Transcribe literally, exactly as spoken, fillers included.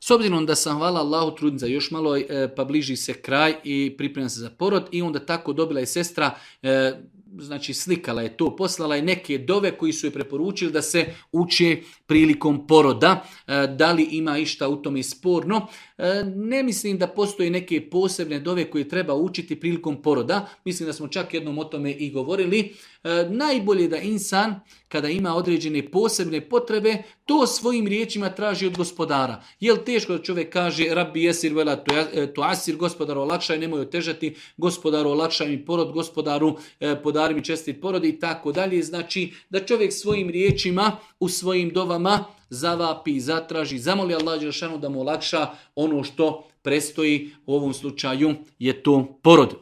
S obzirom da sam, hvala Allahu, trudnica još malo, pa bliži se kraj i pripremam se za porod i onda tako dobila je sestra, znači slikala je to, poslala je neke dove koji su je preporučili da se uče prilikom poroda. Da li ima išta u tome sporno? Ne mislim da postoje neke posebne dove koje treba učiti prilikom poroda. Mislim da smo čak jednom o tome i govorili. Najbolje da insan, kada ima određene posebne potrebe, to svojim riječima traži od gospodara. Jel teško da čovjek kaže Rabbi jesir vela tuasir, gospodaru olakšaj, nemoj otežati, gospodaru olakšaj mi porod, gospodaru podari mi čestit porod i tako dalje. Znači da čovjek svojim riječima u svojim dovama zavapi, zatraži, zamoli Allah dželešanu da mu olakša ono što prestoji, u ovom slučaju je to porod.